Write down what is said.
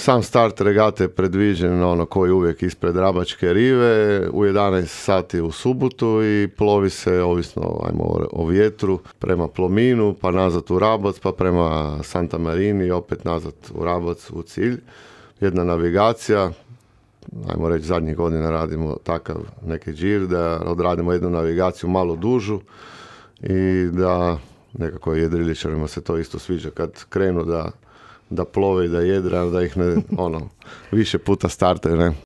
Sam start regate je predviđen ono koji uvijek ispred Rabačke rive u 11 sati u subotu i plovi se ovisno o vjetru prema Plominu, pa nazad u Rabac, pa prema Santa Marini i opet nazad u Rabac u cilj. Jedna navigacija, ajmo reći zadnjih godina radimo takav neki džir da odradimo jednu navigaciju malo dužu i da nekako jedriličarima se to isto sviđa kad krenu da plove i da jedre, da ih ne, više puta startaju, ne.